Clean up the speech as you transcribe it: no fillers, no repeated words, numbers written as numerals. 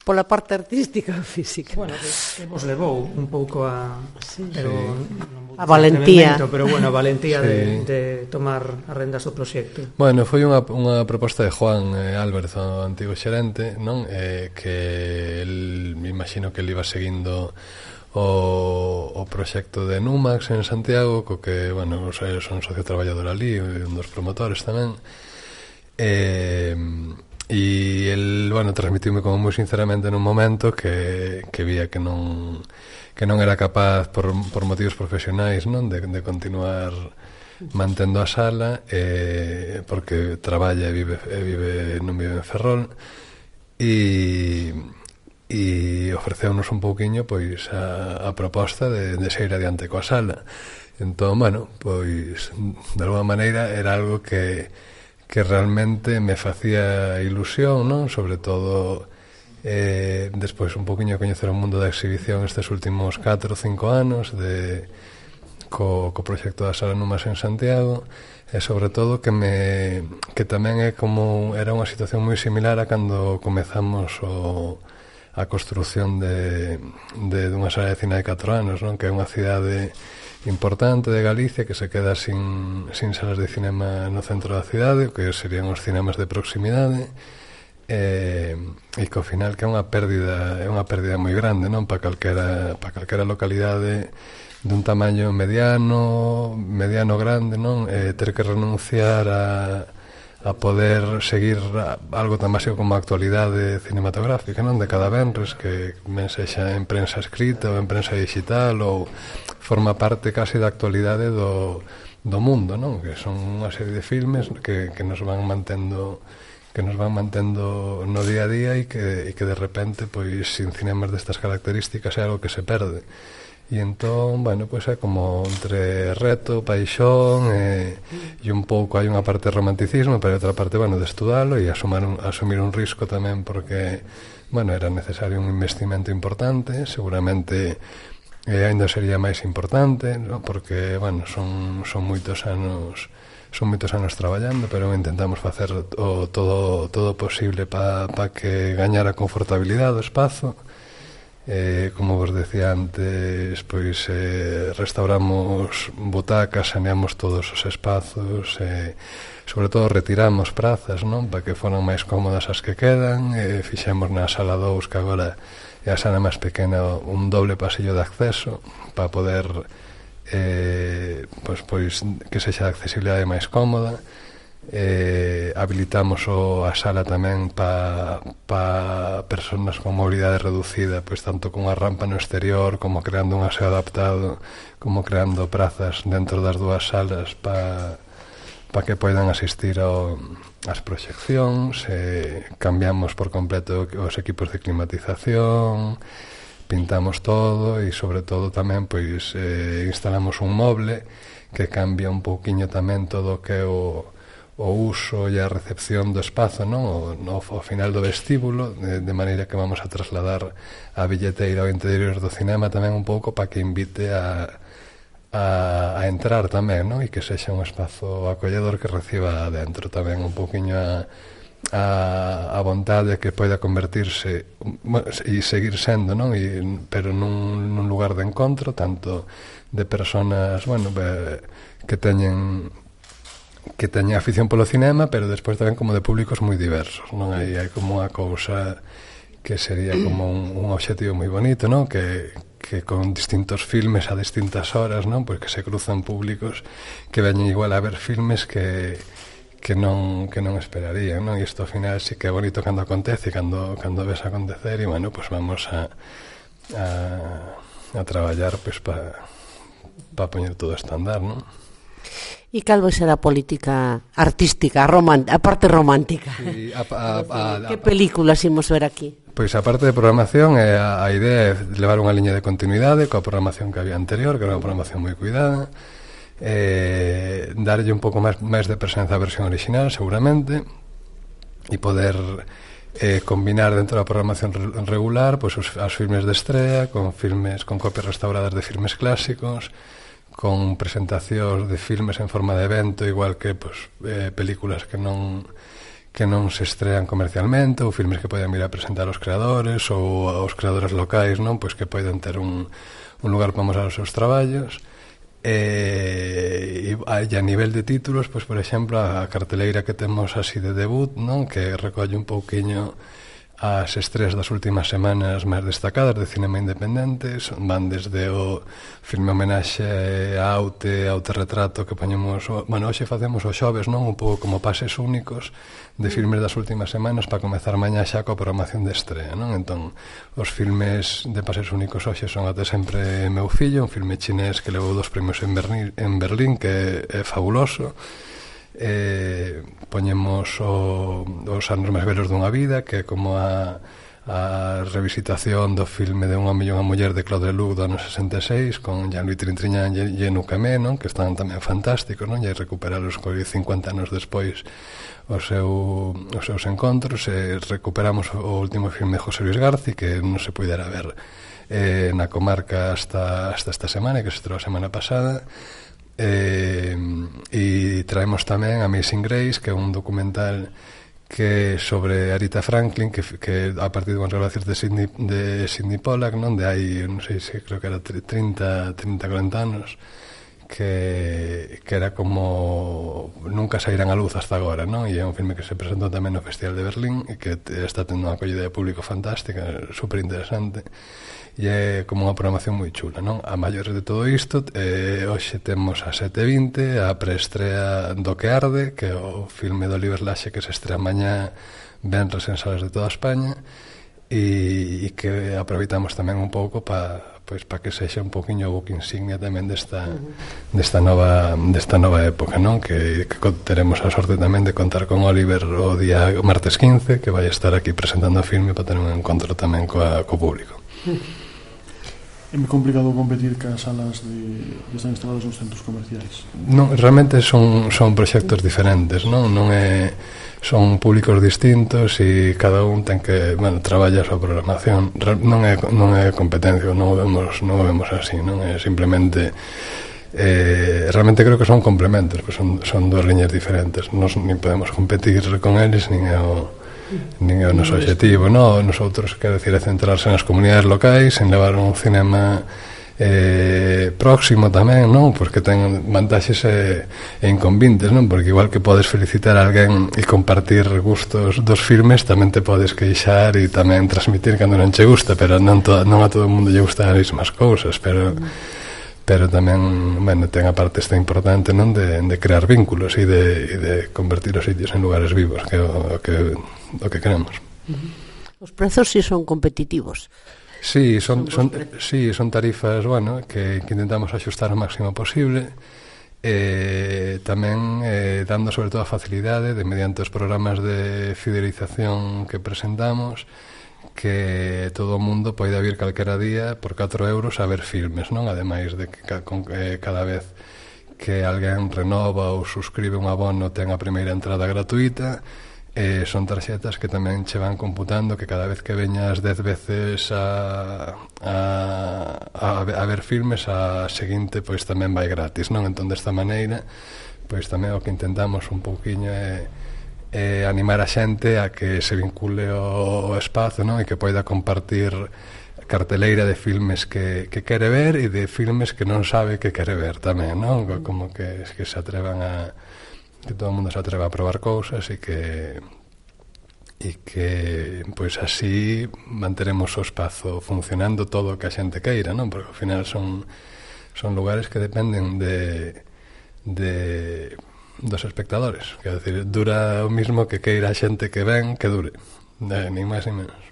pola parte artística ou física. Bueno, que vos levou un pouco a a valentía, pero bueno, a valentía de tomar as rendas do proxecto. Bueno, foi unha proposta de Juan Álvarez, o antigo xerente, non? Que el, me imagino que ele iba seguindo o proxecto de Numax en Santiago, co que, bueno, son socio traballador ali, un dos promotores tamén. E el, bueno, transmitiume como moi sinceramente nun momento que vía que non era capaz por motivos profesionais, non, de continuar mantendo a sala, porque traballa e non vive en Ferrol, e ofreceunos un pouquiño pois a proposta de seguir adiante coa sala. Entón, bueno, pois de alguma maneira era algo que realmente me facía ilusión, non? Sobre todo despois un poquinho coñecer o mundo da exhibición estes últimos 4 ou 5 anos co proxecto da Sala Numax en Santiago, e sobre todo que tamén é como era unha situación moi similar a cando comezamos a construción dunha sala de cine de 4 anos, non? Que é unha cidade importante de Galicia que se queda sin salas de cinema no centro da cidade, que serían os cinemas de proximidade, e que ao final que é unha pérdida moi grande, non? Para calquera localidade dun tamaño mediano grande, non? Ter que renunciar a poder seguir algo tan básico como a actualidade cinematográfica, non? De cada venres, que ben sexa en prensa escrita ou en prensa digital, ou forma parte case da actualidade do mundo, non? Que son unha serie de filmes que nos van mantendo no día a día, e que de repente, pois, sin cinemas destas características é algo que se perde. E entón, bueno, pois é como entre reto, paixón, e un pouco hai unha parte de romanticismo, pero outra parte, bueno, de estudalo e asumir un risco tamén, porque, bueno, era necesario un investimento importante, seguramente ainda sería máis importante, ¿no? Porque, bueno, son moitos anos traballando, pero intentamos facer todo posible para que gañara confortabilidade o espazo. Como vos decía antes, pois restauramos butacas, saneamos todos os espazos, sobre todo retiramos prazas, non? Para que foran máis cómodas as que quedan, fixemos na sala 2, que agora é a sala máis pequena, un doble pasillo de acceso para poder pois que sexa de accesibilidade máis cómoda. Habilitamos a sala tamén para persoas con mobilidade reducida, pois tanto con unha rampa no exterior, como creando un aseo adaptado, como creando prazas dentro das dúas salas para que poidan asistir ás proxeccións. Cambiamos por completo os equipos de climatización, pintamos todo, e sobre todo tamén pois instalamos un moble que cambia un pouquiño tamén todo o que é o uso e a recepción do espazo, non? Ao final do vestíbulo, de maneira que vamos a trasladar a billeteira ao interior do cinema tamén un pouco para que invite a entrar tamén, non? E que sexa un espazo acolledor que reciba adentro tamén un pouquiño a vontade que poida convertirse e seguir sendo, non? Pero nun lugar de encontro, tanto de persoas, bueno, que teñen afición polo cinema, pero despois tamén como de públicos moi diversos, non? Hai como unha cousa que sería como un obxectivo moi bonito, non? Que con distintos filmes a distintas horas, non? Pois que se cruzan públicos que veñen igual a ver filmes que non esperarían, non? E isto ao final sí que é bonito cando acontece, cando ves acontecer, e bueno, pois vamos a traballar pois para poñer todo isto a andar, non? E cal vai ser a política artística, a parte romántica? Sí, que películas imos ver aquí? Pois a parte de programación, a idea é levar unha liña de continuidade coa programación que había anterior, que era unha programación moi cuidada, darlle un pouco máis de presenza á versión original, seguramente, e poder combinar dentro da programación regular pois os filmes de estrea con copias restauradas de filmes clásicos, con presentacións de filmes en forma de evento, igual que películas que non se estrean comercialmente, ou filmes que poden vir a presentar aos creadores ou aos creadores locais, non? Pois que poden ter un lugar para mostrar os seus traballos. E a nivel de títulos, pois por exemplo, a carteleira que temos así de debut, non? Que recolle un pouquiño as estreas das últimas semanas máis destacadas de cinema independente. Van desde o filme homenaxe a Autorretrato que poñemos, hoxe facemos os xoves, non? Un pouco como pases únicos de filmes das últimas semanas para comezar mañá xa coa programación de estrea, non? Entón, os filmes de pases únicos hoxe son Até sempre meu fillo, un filme chinés que levou 2 premios en Berlín, que é fabuloso. Poñemos os anos máis velos dunha vida, que é como a revisitación do filme de Un home e unha muller de Claude Lelouch do ano 66 con Jean-Louis Trintignant e Enou Camé, non? Que están tamén fantásticos, non? E recuperalos 50 anos despois os seus encontros. Recuperamos o último filme de José Luis Garci, que non se puidera ver na comarca hasta esta semana, que se estreou a semana pasada. E traemos tamén Amazing Grace, que é un documental que sobre Aretha Franklin, que a partir de unhas grabacións de Sidney Pollack, non? De hai, non sei se creo que era 30, 40 anos, que era como nunca sairán a luz hasta agora, non? E é un filme que se presentou tamén no Festival de Berlín e que está tendo unha acollida de público fantástica, super interesante. E é como unha programación moi chula, non? A maiores de todo isto, hoxe temos a 7:20 a preestrea do Que Arde, que é o filme do Oliver Laxe que se estrea mañá venres en salas de toda España, e que aproveitamos tamén un pouco para que sexa un poquinho o book insignia tamén desta nova época, non? Que teremos a sorte tamén de contar con Oliver o día martes 15, que vai estar aquí presentando o filme para ter un encontro tamén co público. É moi complicado competir cas salas que están instaladas nos centros comerciais? Non, realmente son proxectos diferentes, non son públicos distintos e cada un ten que, traballa a súa programación. Non é competencia, non o vemos así, non é simplemente realmente creo que son complementos, pues son dos liñas diferentes. Nos nin podemos competir con eles, nin é o noso objetivo, non? Nosotros, quero dicir, é centrarse nas comunidades locais, en levar un cinema próximo tamén, non? Porque ten vantaxes e inconvenientes, non? Porque igual que podes felicitar a alguén e compartir gustos dos filmes, tamén te podes queixar e tamén transmitir cando non che gusta, pero non a todo o mundo lle gustan as mesmas cousas, pero tamén, ten a parte esta importante, non? De crear vínculos e de convertir os sitios en lugares vivos, que é o que queremos. Os prezos si son competitivos. Sí, son tarifas, que intentamos axustar o máximo posible, tamén dando sobre todo a facilidade de, mediante os programas de fidelización que presentamos, que todo o mundo poida vir calquera día por 4 euros a ver filmes, non? Ademais de que cada vez que alguén renova ou suscribe un abono ten a primeira entrada gratuita. Son tarxetas que tamén che van computando que cada vez que veñas 10 veces a ver filmes, a seguinte pois tamén vai gratis, non? Entón, desta maneira, pois tamén o que intentamos un pouquiño é animar a xente a que se vincule ao espazo, non? E que poida compartir carteleira de filmes que quere ver e de filmes que non sabe que quere ver tamén, non? Como que se atrevan que todo o mundo se atreva a probar cousas e que pois así manteremos o espazo funcionando todo o que a xente queira, non? Porque ao final son lugares que dependen dos espectadores, quero dicir, dura o mismo que queira a xente que ven que dure, nin máis nin menos.